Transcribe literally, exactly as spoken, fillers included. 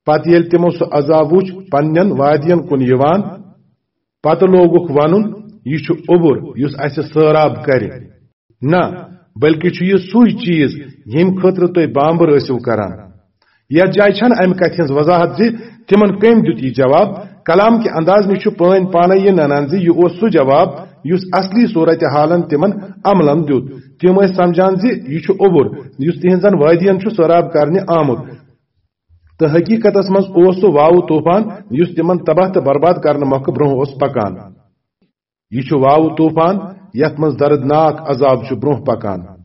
پتہٕ ییٚلہِ تِمو سُہ عذاب وُچھ پننٮ۪ن وادین کُن یِوان، پتہٕ لوگُکھ ونُن، "یہِ چھُ اوٚبُر یُس اسہِ سٲراب کرِ۔" نہ، بلکہِ چھُ یہِ سُے چیز ییٚمہِ خٲطرٕ تُہۍ بامبر ٲسِو کران۔ یتھ جایہِ چھنہٕ امہِ کتھِ ہٕنز وضاحت زِ تِمن کٔمۍ دیُت یہِ جواب۔ کلام کہِ انداز نِش چھُ پٲنۍ پانے یہِ ننان زِ یہِ اوس سُہ جواب یُس اصلی صورت حالن تِمن عملن دیُت۔ تِم ٲسۍ سمجھان زِ یہِ چھُ اوٚبُر یُس تِہنزن وادین چھُ سٲراب کرنہِ آمُت۔ تہٕ حقیقتس منز اوس سُہ واوٕ طوفان یُس تِمن تباہ تہٕ برباد کرنہٕ مۄکھٕ برونہہ اوس پکان۔ یہِ چھُ واوٕ طوفان یتھ منز دردناک عذاب چھُ برونہہ پکان۔